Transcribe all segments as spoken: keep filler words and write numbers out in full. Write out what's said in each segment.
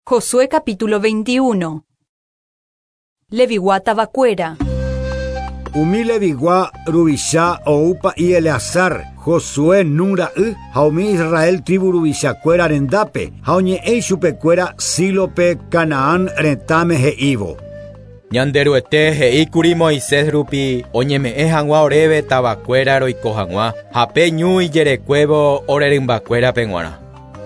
Josué capítulo veintiuno. Levigua tavakuéra. Umi Levigua ruvicha oupa y Eleazar, Josué Nun ra'y, ha umi Israel tribu ruvichakuéra rendápe, ha oñe'ẽ chupekuéra Sílope Canaán retãme he'ívo. Ñanderuete he'íkuri Moisés rupi oñeme'ẽ hag̃ua oréve tavakuéra roiko hag̃ua ha pe ñu ijerekuévo ore rymbakuérape g̃uarã.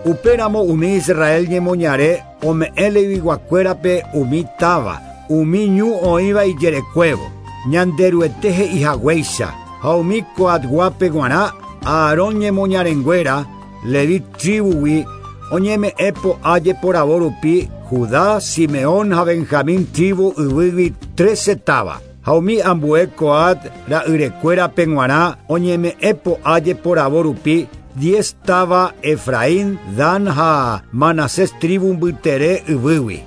Upéramo umi Israel ñemoñare ome'ẽ leviguakuérape umi táva, umi ñu oĩva ijerekuévo. Ñanderuete he'ihaguéicha ha umi Coatguápe g̃uarã Aarón ñemoñarenguéra Levi tribugui oñeme'ẽ po'a jeporavo rupi Judá, Simeón ha Benjamín tribu yvýgui trece táva. Ha umi ambue Coat ra'yrekuérape g̃uarã oñeme'ẽ po'a jeporavo rupi diez táva Efraín, Dan ha Manasés tribu mbytere yvýgui.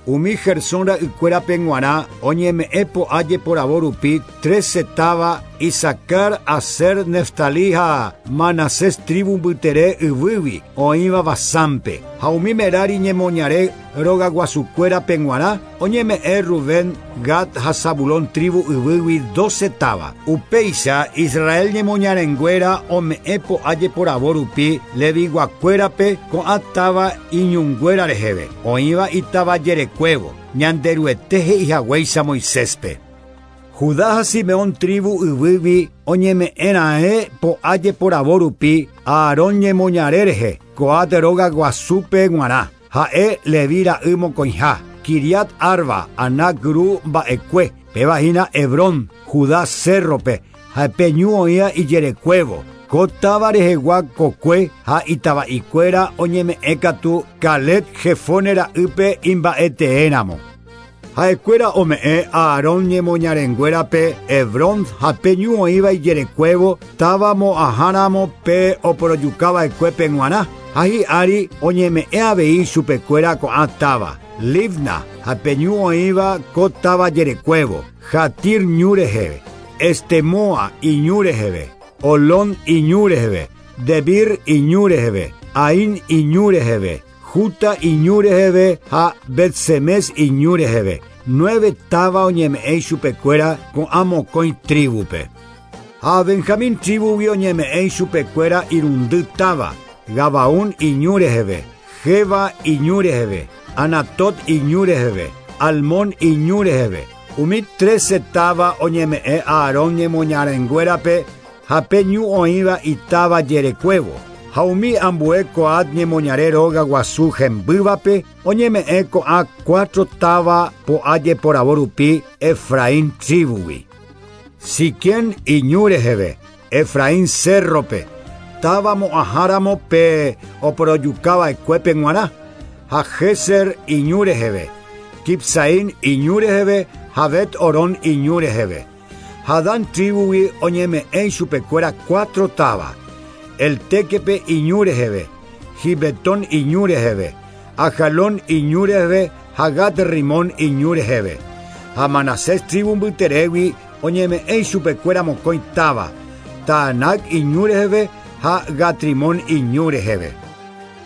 Umi Gersón ra'ykuérape g̃uarã oñeme'ẽ po'a jeporavo rupi trece táva Isacar, Aser, Neftalí ha Manasés tribu mbytere yvýgui oĩva Basánpe. Ha umi Merari ñemoñare rogaguasukuérape g̃uarã oñeme'ẽ Rubén, Gad ha Zabulón tribu yvýgui doce táva. Upéicha Israel ñemoñarenguéra ome'ẽ po'a jeporavo rupi leviguakuérape ko'ã táva iñunguéra reheve oĩva itáva jerekuévo Ñanderuete he'ihaguéicha Moiséspe. Judá ha Simeón tribu yvýgui oñeme'ẽra'e po'a jeporavo rupi Aarón ñemoñare rehe Coat rogaguasúpe g̃uarã. Ha'e Levi ra'y mokõiha, Kiriat Arba, Anac ru mba'ekue, péva hína Hebrón, Judá cérrope, ha pe ñu oĩva ijerekuévo. Ko táva rehegua kokue ha itava'ikuéra oñeme'ẽ katu Caleb Jefone ra'ýpe imba'eteéramo. Ha'ekuéra ome'ẽ Aarón ñemoñarenguérape Hebrón ha pe ñu oĩva ijerekuévo táva mo'ãháramo pe oporojukava'ekuépe g̃uarã. Ha hi'ári oñeme'ẽ avei chupekuéra ko'ã táva, Libna ha pe ñu oĩva ko táva jerekuévo, Jatir ñu reheve, Estemoa iñu reheve, Olón iñu reheve, Debir iñu reheve, Ain iñu reheve, Juta iñu reheve ha Betsemes iñu reheve. Nueve táva oñeme'ẽ chupekuéra ko'ã mokõi tribupe. Ha Benjamín tribugui oñeme'ẽ chupekuéra irundy táva, Gabaón iñu reheve, Jeba iñu reheve, Anatot iñu reheve, Almón iñu reheve. Umi trece táva oñeme'ẽ Aarón ñemoñarenguérape ha pe ñu oĩva itáva jerekuévo. Ha umi ambue Coat ñemoñare rogaguasu hembývape oñeme'ẽ ko'ã cuatro táva po'a jeporavo rupi Efraín tribugui. Siquén iñu reheve, Efraín cérrope, táva mo'ãháramo pe oporojukava'ekuépe g̃uarã, ha Geser iñu reheve, Kipsaín iñu reheve ha Bet Orón iñu reheve. Ha Dan tribugui oñeme'ẽ chupekuéra cuatro táva, El Tequepe iñu reheve, Gibetón iñu reheve, Ajalón iñu reheve ha Gat Rimón iñu reheve. Ha Manasés tribu mbyterégui oñeme'ẽ chupekuéra mokõi táva, Taanac iñu reheve ha Gatrimón iñu reheve.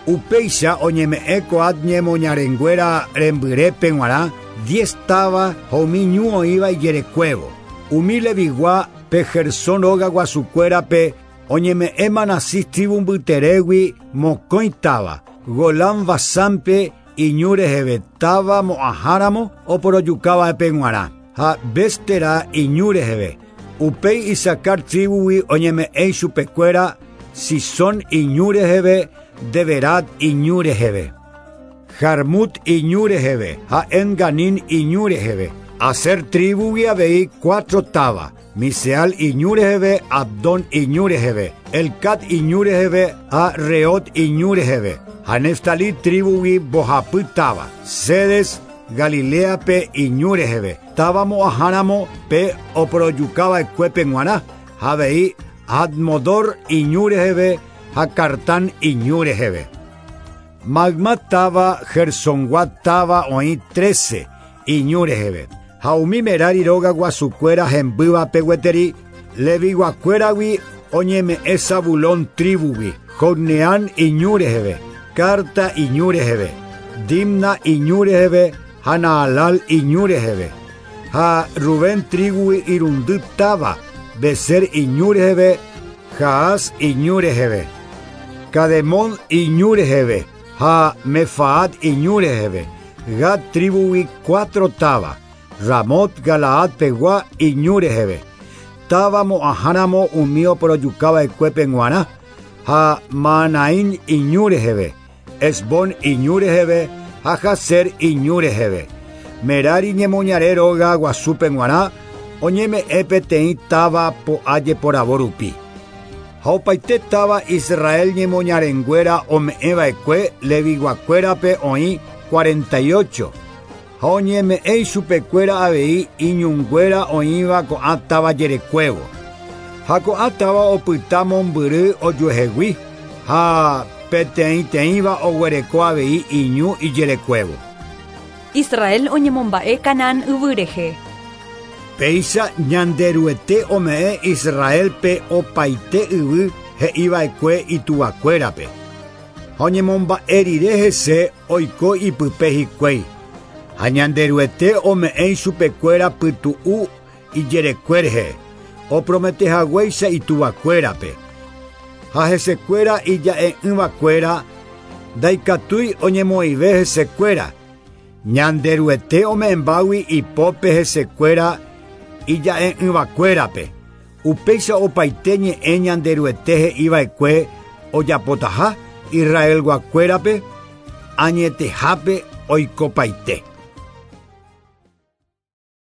Upéicha oñeme'ẽ Coat ñemoñarenguéra rembyrépe g̃uarã diez táva ha umi ñu oĩva ijerekuévo. Umi Levigua pe Gersón rogaguasukuérape oñeme'ẽ Manasés tribu mbyterégui mokõi táva, Golán Basánpe iñu reheve táva mo'ãháramo oporojukava'epe g̃uarã, ha Bestera iñu reheve. Upéi Isacar tribugui oñeme'ẽ chupekuéra Sisón iñu reheve, Deberat iñu reheve, Jarmut iñu reheve ha Enganín iñu reheve. Aser tribugui avei cuatro táva, Miseal iñu reheve, Abdón iñu reheve, Elcat iñu reheve ha Reot iñu reheve. Ha Neftalí tribugui mbohapy táva, Cedes Galileape iñu reheve, táva mo'ãháramo pe oporojukava'ekuépe g̃uarã, ha avei Admodor iñu reheve ha Cartán iñu reheve. Magma táva Gersongua táva oĩ trece iñu reheve. Ha umi Merari rogaguasukuéra hembývape gueteri leviguakuéragui oñeme'ẽ Zabulón tribugui, Jocneán iñu reheve, Carta iñu reheve, Dimna iñu reheve ha Naalal iñu reheve. Ha Rubén tribugui irundy táva, Beser iñu reheve, Jaas iñu reheve. Cademón iñu reheve, ha Mefaat iñu reheve. Gad tribugui cuatro táva, Ramot Galaad pegua iñu reheve. Táva mo'ãháramo umi oporojukava'ekuépe g̃uarã, ha Mahanaim iñu reheve, Hesbón iñu reheve, ha Jazer iñu reheve. Merari ñemoñare róga guasúpe g̃uarã, oñeme'ẽ peteĩ táva po'a jeporavo rupi. Ha opaite táva Israel ñemoñarenguéra ome'ẽva'ekue Leviguakuérape oĩ cuarenta y ocho. Ha oñeme'ẽ ichupekuéra avei iñunguéra oĩva ko'ã táva jerekuévo. Ha ko'ã táva opyta mombyry ojuehegui ha peteĩteĩva oguereko avei iñu ijerekuévo. Israel oñemomba'e Canaán yvy rehe. Péicha Ñanderuete ome'ẽ Israelpe opaite yvy he'iva'ekue ituvakuérape. Ha oñemomba'e rire hese oiko ipype hikuái. Ha Ñanderuete ome'ẽ ichupekuéra pytu'u ijerekue rehe, oprometehaguéicha ituvakuérape. Ha hesekuéra ija'e'ỹvakuéra ndaikatúi oñemoĩve hesekuéra. Ñanderuete ome'ẽmbágui ipópe hesekuéra ija'e'ỹvakuérape. Upéicha opaite ñe'ẽ Ñanderuete he'iva'ekue ojapotaha Israelguakuérape añetehápe oikopaite.